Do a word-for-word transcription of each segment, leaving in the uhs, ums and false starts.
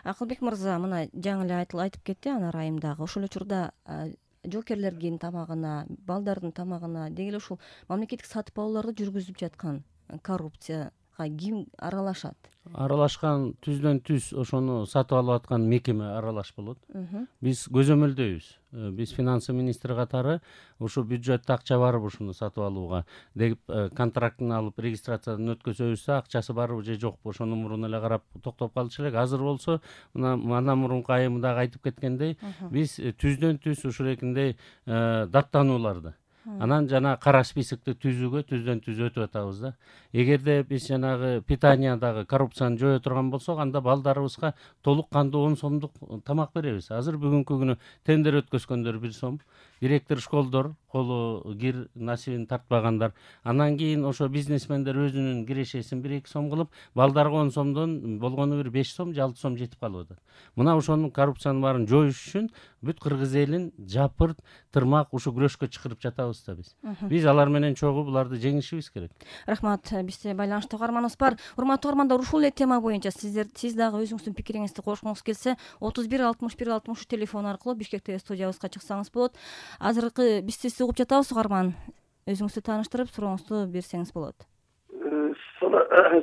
Акылбек мырза, мына жаңы эле айтып кетти Анар айым дагы. Ошол эле учурда жоокерлердин тамагына, балдардын тамагына деги эле ушул мамлекеттик сатып алууларды жүргүзүп жаткан коррупцияга ким аралашат? Аралашкан түздөн түз ошону сатып алып аткан мекеме аралаш болот. Биз көзөмөлдөйбүз. Биз финансы министри катары ушу бюджетте акча барбы ушуну сатып алууга деп контрактын алып регистрациядан өткөзөбүз, акчасы барбы же жокпу ошону мурун эле карап токтоп калчу элек. Азыр болсо мына мана мурунку айым дагы айтып кеткендей, биз түздөн түз ушулекиндей даттанууларды анан жана кара списокти түзүүгө түздөн түз өтүп атабыз да. Эгерде биз жанагы питаниядагы коррупцияны жое турган болсок, анда балдарыбызга толук кандуу он сомдук тамак беребиз. Азыр бүгүнкү күнү тендер өткөзгөндөр бир сом, директор школдор, колу кир насибин тартпагандар. Анан кийин ошо бизнесмендер өзүнүн кирешесин бир эки сом кылып, балдарга он сомдон болгону бир беш сом же алты сом жетип калып атат. Мына ошонун коррупциянын баарын жоюш үчүн бүт кыргыз элин жапырт тырмак ушу күрөшкө чакырып жатабыз да биз. Биз алар менен чогуу буларды жеңишибиз керек. Рахмат. Бизде байланышта угарманыбыз бар. Урматтуу угармандар, ушул эле тема боюнча сиздер сиз дагы өзүңүздүн пикириңизди кошкуңуз келсе, отуз бир алтымыш бир алтымыш үч телефон аркылуу Бишкек ТВ студиябызга чыксаңыз болот. Азыркы биз сизди угуп жатабыз, угарман. Өзүңүздү тааныштырып, сурооңузду берсеңиз болот.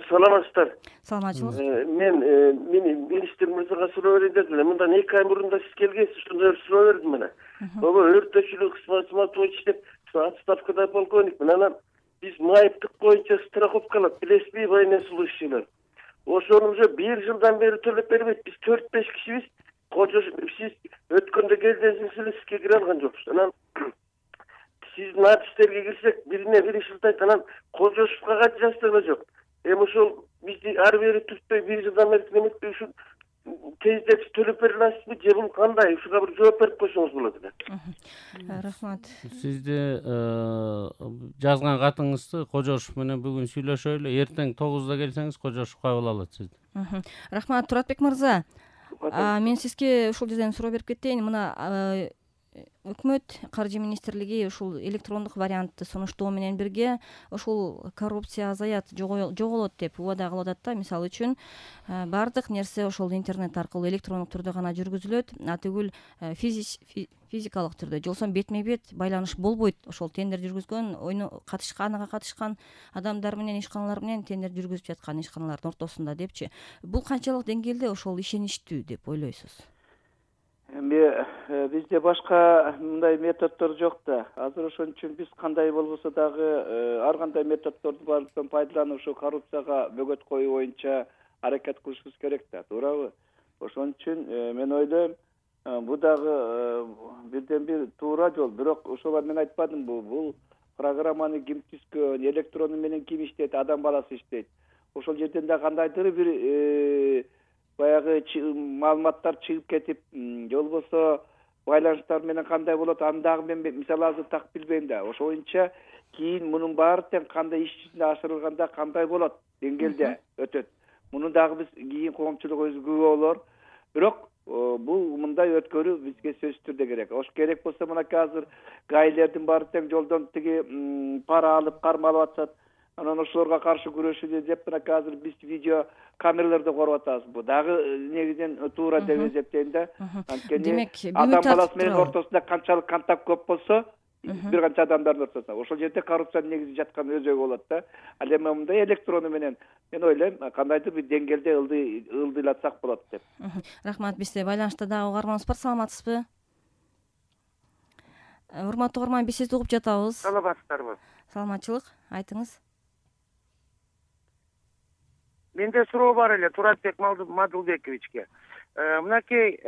Саламатсыздар. Саламатчылык. Мен мен министр мырзага суроо берейин деп элем. Мындан эки ай мурун да сиз келгенсиз, ошондо суроо бердим мына. Ого, өрттөчүлүк кызматы боюнча иштеп, отставкада полковникмин. Анан биз майыптык боюнча страховкалап, билесизби, военнослужащийлер. Ошону уже бир жылдан бери төлөп бербейт. Биз төрт беш кишибиз. Кожо сиз өткөндө келдиңиз эле, сизге кире алган жокпуз. Анан сиздин адистерге кирсек, бирине бири шылтайт, анан Кожошовго кат жаздырма жок. Эми ошол бизди ары бери түртпөй бир жылдан бери неметпей ушул тездеп төлөп бере аласызбы, же бул кандай? Ушуга бир жооп берип койсоңуз болот эле. Рахмат. Сизди жазган катыңызды Кожошов менен бүгүн сүйлөшөлү. Эртең тогузда келсеңиз, Кожошов кабыл алат сизди. Рахмат, Туратбек мырза. Мен сизге ушул жерден суроо берип кетейин. Мына өкмөт, каржы министрлиги ушул электрондук вариантты сунуштоо менен бирге ушул коррупция азаят, жоголот деп убада кылып атат да. Мисалы үчүн баардык нерсе ошол интернет аркылуу электрондук түрдө гана жүргүзүлөт, атүгүл физикалык түрдө, жолсо бетме бет байланыш болбойт. Ошол тендер жүргүзгөн, ойну катышкан, ага катышкан адамдар менен, ишканалар менен тендер жүргүзүп жаткан ишканалардын ортосунда депчи. Бул канчалык деңгээлде ошол ишеничтүү деп ойлойсуз? Эми бизде башка мындай методдор жок да. Азыр ошон үчүн биз кандай болбосо дагы ар кандай методдорду бардыктан пайдаланып ушу коррупцияга бөгөт коюу боюнча аракет кылышыбыз керек да, туурабы? Ошон үчүн мен ойлойм, бул дагы бирден бир туура жол. Бирок ошол мен айтпадымбы, бул программаны ким түзгөн, электрону менен ким иштейт, адам баласы иштейт. Ошол жерден да кандайдыр бир баягы маалыматтар чыгып кетип, же болбосо байланыштар менен кандай болот, аны дагы мен мисалы азыр так билбейм да. Ошо боюнча кийин мунун баары тең кандай иш жүзүнө ашырылганда кандай болот, деңгээлде өтөт. Муну дагы биз кийин коомчулук өзү күбө болор. Бирок бул мындай өткөрүү бизге сөзсүз түрдө керек. Ош керек болсо мынакей азыр гаилердин баары тең жолдон тиги пара алып кармалып атышат. Анан ошолорго каршы күрөшүлү деп мынакей азыр биз видео камераларды коруп атабыз. Бул дагы негизинен туура деп эсептейм да. Анткени адам баласы менен ортосунда канчалык контакт көп болсо, бир канча адамдардын ортосунда, ошол жерде коррупциянын негизи жаткан өзөгү болот да. Ал эми мындай электрону менен мен ойлойм кандайдыр бир деңгээлде ылдыйлатсак болот деп. Рахмат. Бизде байланышта дагы угарманыбыз бар. Саламатсызбы? Урматтуу угарман, биз сизди угуп жатабыз. Саламатсыздарбы? Саламатчылык, айтыңыз. Менде суроо бар эле Туратбек Мадылбековичке. Мынакей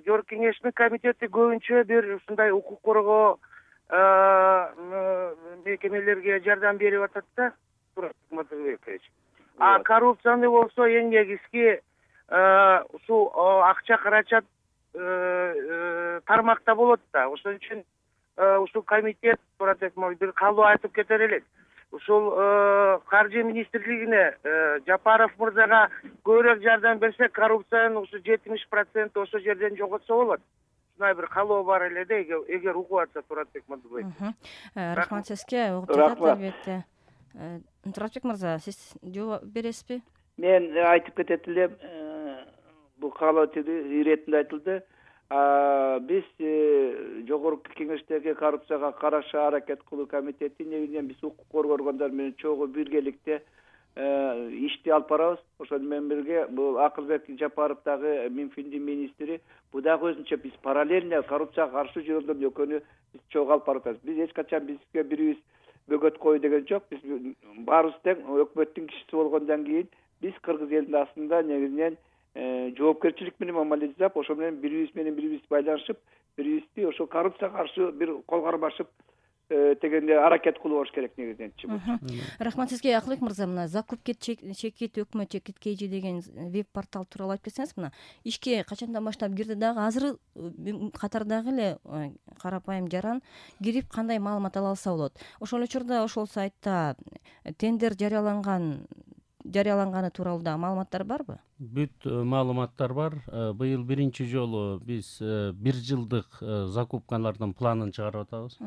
Жогорку Кеңештин комитети көбүнчө бир ушундай укук коргоо мекемелерге жардам берип атат да, Туратбек Мадылбекович. А коррупцияны болсо эң негизги ушул акча каражат тармакта болот да. Ошон үчүн ушул комитет Туратбек бир калуу айтып кетер элек. Ушул каржы министрлигине Жапаров мырзага көбүрөөк жардам берсе, коррупциянын ушу жетимиш проценти ошол жерден жоготсо болот. Ушундай бир калоо бар эле да, эгер угуп атса Туратбек Мадылбекович. Рахмат сизге, угуп жатат албетте. Туратбек мырза, сиз жооп бересизби? Мен айтып кетет элем, бул каалоо иретинде айтылды. Биз жогорку кеңештеги коррупцияга каршы аракет кылуу комитети негизинен биз укук коргоо органдары менен чогуу биргеликте ишти алып барабыз. Ошону менен бирге бул Акылбек Жапаров дагы Минфиндин министри, бул дагы өзүнчө биз параллельно коррупцияга каршы жүргөндөрдүн экөөнү биз чогуу алып барып атабыз. Биз эч качан бизге бирибиз бөгөт кой деген жок. Биз баарыбыз тең өкмөттүн кишиси болгондон кийин биз кыргыз элинин астында негизинен жоопкерчилик менен мамиле жасап, ошо менен бирибиз менен бирибиз байланышып, бирибизди ошо коррупцияга каршы бир кол кармашып дегенде аракет кылыш керек негизиненчи. Рахмат сизге, Акылбек мырза. Мына закупкет чекит өкмөт чекит кейжи деген веб портал тууралуу айтып кетсеңиз, мына ишке качандан баштап кирди дагы, азыр катардагы эле карапайым жаран кирип кандай маалымат ала алса болот. Ошол учурда ошол сайтта тендер жарыяланган жарыяланганы тууралуу да маалыматтар барбы? Бүт маалыматтар бар. Быйыл биринчи жолу биз бир жылдык закупкалардын планын чыгарып атабыз.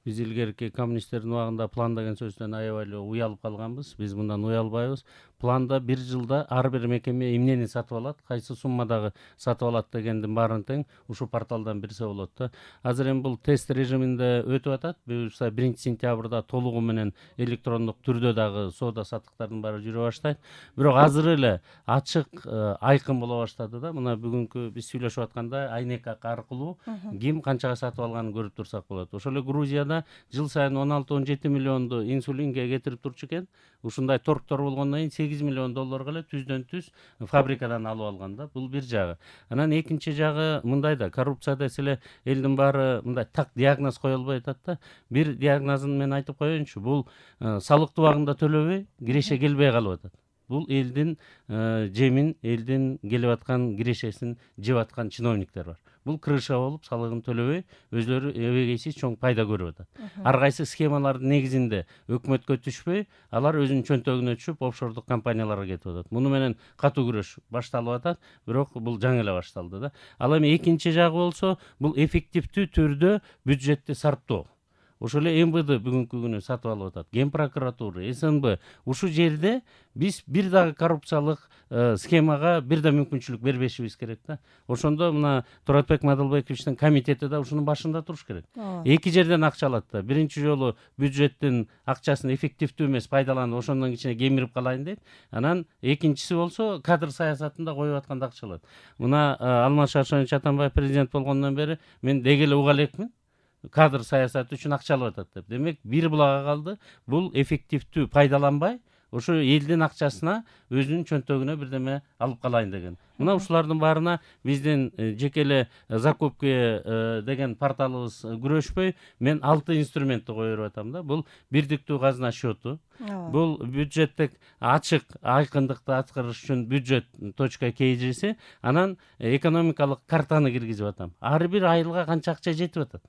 Биз илгерки коммунисттердин убагында план деген сөздөн аябай эле уялып калганбыз. Биз мындан уялбайбыз. Планда бир жылда ар бир мекеме эмнени сатып алат, кайсы суммадагы сатып алат дегендин баарын тең ушул порталдан билсе болот да. Азыр эми бул тест режиминде өтүп атат. Буюрса биринчи сентябрда толугу менен электрондук түрдө дагы соода саттыктардын баары жүрө баштайт. Бирок азыр эле ачык айкын боло баштады да. Мына бүгүнкү биз сүйлөшүп атканда айнек аркылуу ким канчага сатып алганын көрүп турсак болот. Ошол эле Грузияда жыл сайын он алты он жети миллионду инсулинге кетирип турчу экен. Ушундай торгдор болгондон кийин сегиз миллион долларга эле түздөн түз фабрикадан алып алган да. Бул бир жагы. Анан экинчи жагы мындай да, коррупция десе эле элдин баары мындай так диагноз кое албай атат да. Бир диагнозун мен айтып коеюнчу. Бул салыктуу убагында төлөбөй, киреше келбей калып атат. Бул элдин жемин, элдин келип аткан кирешесин жеп аткан чиновниктер бар. Бул крыша болуп, салыгын төлөбөй, өзлөрү эбегейсиз чоң пайда көрүп атат. Ар кайсы схемалардын негизинде өкмөткө түшпөй, алар өзүнүн чөнтөгүнө түшүп, офшордук компанияларга кетип атат. Муну менен катуу күрөш башталып атат, бирок бул жаңы эле башталды да. Ал эми экинчи жагы болсо, бул эффективдүү түрдө бюджетти сарптоо. Ошол эле эм вэ дэ бүгүнкү күнү сатып алып атат. Ген прокуратура, эс эн бэ. Ушул жерде биз бир дагы коррупциялык схемага бир да мүмкүнчүлүк бербешибиз керек да. Ошондо мына Туратбек Мадылбековичтин комитети да ушунун башында туруш керек. Эки жерден акча алат да. Биринчи жолу бюджеттин акчасын эффективдүү эмес пайдаланып, ошондон кичине кемирип калайын дейт. Анан экинчиси болсо кадр саясатында коюп атканда акча алат. Мына Алмаз Шаршенович Атамбаев президент болгондон бери мен деги эле уга элекмин. Кадр саясаты үчүн акча алып атат деп. Демек, бир булага калды. Бул эффективдүү пайдаланбай, ошо элдин акчасына өзүнүн чөнтөгүнө бирдеме алып калайын деген. Мына ушулардын баарына биздин жеке эле закупка деген порталыбыз күрөшпөй, мен алты инструментти коюп атам да. Бул бирдиктүү казына счету, бул бюджеттик ачык айкындыкты аткарыш үчүн бюджет точка кей жи, анан экономикалык картаны киргизип атам. Ар бир айылга канча акча жетип атат?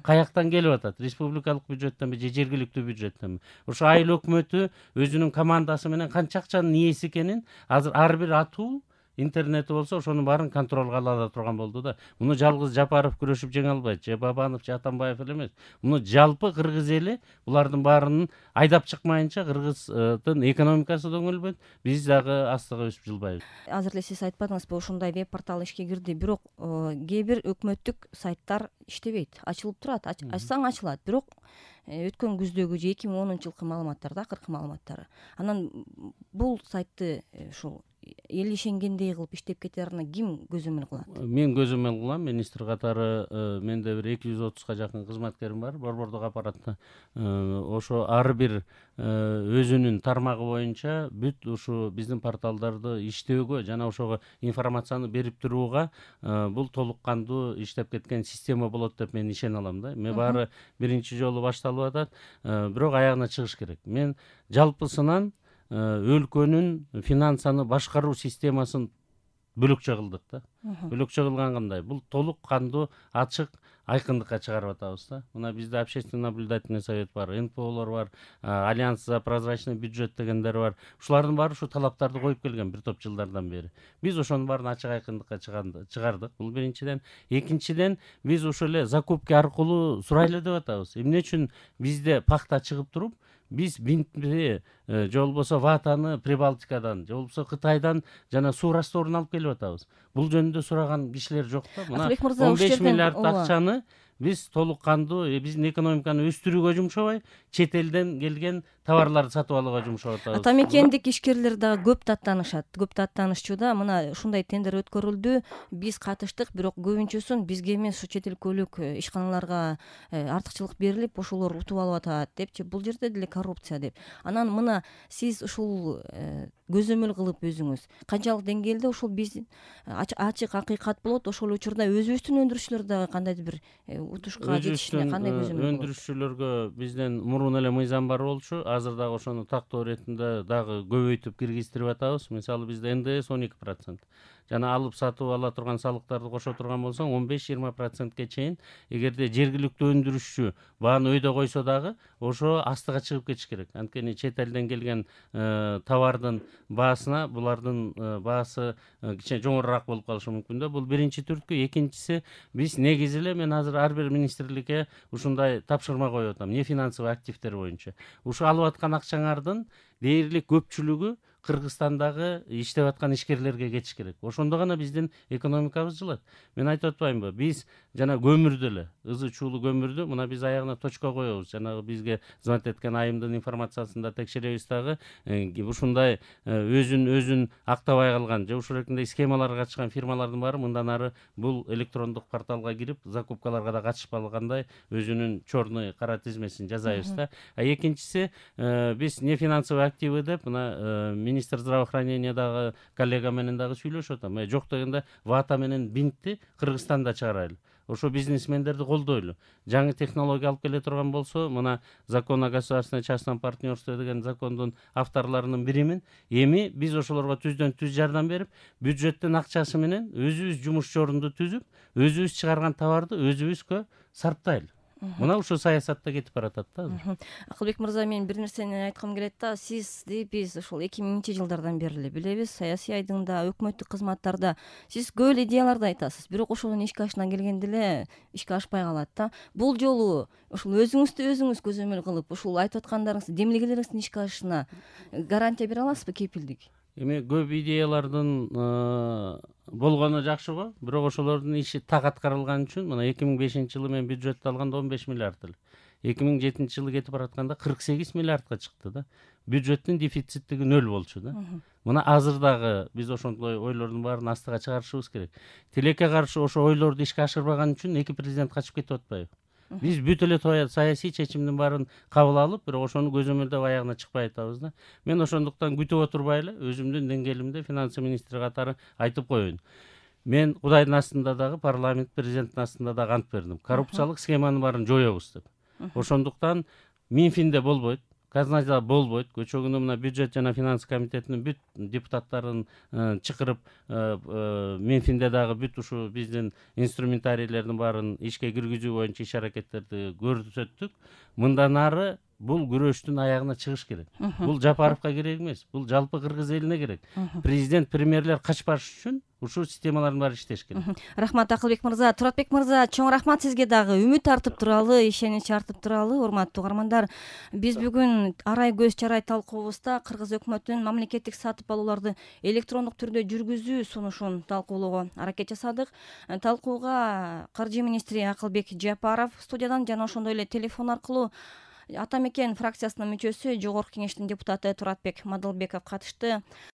Каяктан келип атат? Республикалык бюджеттенби же жергиликтүү бюджеттенби? Ошо айыл өкмөтү өзүнүн командасы менен канча акчанын ээси экенин азыр ар бир атуу интернети болсо ошонун баарын контролго ала турган болду да. Муну жалгыз Жапаров күрөшүп жеңе албайт, же Бабанов, же Атамбаев эле эмес. Муну жалпы кыргыз эли булардын баарынын айдап чыкмайынча кыргыздын экономикасы да өңүлбөйт, биз дагы астыга өсүп жылбайбыз. Азыр эле сиз айтпадыңызбы, ушундай веб портал ишке кирди, бирок кээ бир өкмөттүк сайттар иштебейт, ачылып турат, ачсаң ачылат, бирок өткөн күздөгү же эки миң онунчу жылкы маалыматтар да, акыркы маалыматтары. Анан бул сайтты ушул эл ишенгендей кылып иштеп кетерине ким көзөмөл кылат? Мен көзөмөл кылам. Министр катары менде бир эки жүз отузга жакын кызматкерим бар борбордук аппаратта. Ошо ар бир өзүнүн тармагы боюнча бүт ушу биздин порталдарды иштөөгө жана ошого информацияны берип турууга бул толук кандуу иштеп кеткен система болот деп мен ишене алам да. Мен баары биринчи жолу башталып атат, бирок аягына чыгыш керек. Мен жалпысынан өлкөнүн финансаны башкаруу системасын бөлөкчө кылдык да. Бөлөкчө кылган кандай? Бул толук кандуу, ачык, айкындыкка чыгарып атабыз да. Мына бизде общественный наблюдательный совет бар, эн пэ олор бар, Альянс за прозрачный бюджет дегендер бар. Ушулардын баары ушу талаптарды коюп келген бир топ жылдардан бери. Биз ошонун баарын ачык айкындыкка чыгардык. Бул биринчиден. Экинчиден, биз ошол эле закупка аркылуу сурайлы деп атабыз. Эмне үчүн бизде пахта чыгып туруп, биз бинтти же болбосо ватаны Прибалтикадан же болбосо Кытайдан жана суу растворун алып келип атабыз. Бул жөнүндө сураган кишилер жок да. Мына он беш миллиард акчаны биз толук кандуу биздин экономиканы өстүрүүгө жумшабай, чет элден келген товарларды сатып алууга жумшап атабыз. Ата мекендик ишкерлер дагы көп даттанышат, көп даттанышчу да. Мына ушундай тендер өткөрүлдү, биз катыштык, бирок көбүнчөсүн бизге эмес, ушу чет өлкөлүк ишканаларга артыкчылык берилип, ошолор утуп алып атат депчи. Бул жерде деле коррупция деп. Анан мына сиз ушул көзөмөл кылып өзүңүз канчалык деңгээлде ушул биз ачык акыйкат болот, ошол учурда өзүбүздүн өндүрүшчүлөр дагы кандайдыр бир утушка жетишине кандай көзөмөл болот? Өндүрүшчүлөргө бизден мурун эле мыйзам бар болчу. Азыр дагы ошону тактоо иретинде дагы көбөйтүп киргиздирип атабыз. Мисалы бизде эн дэ эс он эки процент. Жана алып сатып ала турган салыктарды кошо турган болсоң он беш жыйырма процентке чейин. Эгерде жергиликтүү өндүрүшчү бааны өйдө койсо дагы ошо астыга чыгып кетиш керек. Анткени чет элден келген товардын баасына булардын баасы кичине жогорураак болуп калышы мүмкүн да. Бул биринчи түрткү. Экинчиси, биз негизи эле мен азыр ар бир министрликке ушундай тапшырма коюп атам. Не финансовый активдер боюнча. Ушу алып аткан акчаңардын дээрлик көпчүлүгү Кыргызстандагы иштеп аткан ишкерлерге кетиш керек. Ошондо гана биздин экономикабыз жылат. Мен айтып атпаймынбы? Биз жана көмүрдү эле, ызы чуулуу көмүрдү мына биз аягына точка коебуз. Жанагы бизге звонить эткен айымдын информациясында текшеребиз дагы ушундай өзүн өзүн актабай калган же ушул эркиндей схемаларга катышкан фирмалардын баары мындан ары бул электрондук порталга кирип, закупкаларга да катышпагандай өзүнүн черный кара тизмесин жасайбыз да. А экинчиси, биз не финансовый активы деп мына министр здравоохранениядагы коллега менен дагы сүйлөшүп атам. Жок дегенде вата менен бинтти Кыргызстанда чыгарайлы. Ошо бизнесмендерди колдойлу. Жаңы технология алып келе турган болсо, мына закон о государственном частном партнерстве деген закондун авторлорунун биримин. Эми биз ошолорго түздөн түз жардам берип, бюджеттин акчасы менен өзүбүз жумуш орунду түзүп, өзүбүз чыгарган товарды өзүбүзгө сарптайлы. Мына ушул саясатта кетип баратат да. Акылбек мырза, мен бир нерсени айткым келет да. Сизди биз ушул эки миңинчи жылдардан бери эле билебиз. Саясий айдыңда, өкмөттүк кызматтарда сиз көп эле идеяларды айтасыз, бирок ошонун ишке ашына келгенде эле ишке ашпай калат да. Бул жолу ушул өзүңүздү өзүңүз көзөмөл кылып, ушул айтып аткандарыңыз, демилгелериңиздин ишке ашышына гарантия бере аласызбы, кепилдик? Эми көп идеялардын болгону жакшы го, бирок ошолордун иши так аткарылган үчүн мына эки миң бешинчи жылы мен бюджетти алганда он беш миллиард эле. эки миң жетинчи жылы кетип баратканда кырк сегиз миллиардка чыкты да. Бюджеттин дефициттиги нөл болчу да. Мына азыр дагы биз ошондой ойлордун баарын астыга чыгарышыбыз керек. Тилекке каршы ошо ойлорду ишке ашырбаган үчүн эки президент качып кетип атпайбы? Биз бүт эле саясий чечимдин баарын кабыл алып, бирок ошону көзөмөлдөп аягына чыкпай атабыз да. Мен ошондуктан күтүп отурбай эле өзүмдүн деңгээлимде финансы министри катары айтып коеюн. Мен Кудайдын астында дагы, парламент президенттин астында дагы ант бердим. Коррупциялык схеманын баарын жоёбуз деп. Ошондуктан Минфинде болбойт, казначада болбойт. Көчө күнү мына бюджет жана финанс комитетинин бүт депутаттарын чакырып, Минфинде дагы бүт ушу биздин инструментарийлердин баарын ишке киргизүү боюнча иш аракеттерди көрсөттүк. Мындан ары бул күрөштүн аягына чыгыш керек. Бул Жапаровго керек эмес, бул жалпы кыргыз элине керек. Президент, премьерлер качпаш үчүн ушул системалардын баары иштеш керек. Рахмат Акылбек мырза. Туратбек мырза, чоң рахмат сизге дагы. Үмүт артып туралы, ишенич артып туралы. Урматтуу угармандар, биз бүгүн арай көз чарай талкуубузда кыргыз өкмөтүнүн мамлекеттик сатып алууларды электрондук түрдө жүргүзүү сунушун талкуулоого аракет жасадык. Талкууга каржы министри Акылбек Жапаров студиядан жана ошондой эле телефон аркылуу Ата мекен фракциясынын мүчөсү, Жогорку кеңештин депутаты Туратбек Мадылбеков катышты.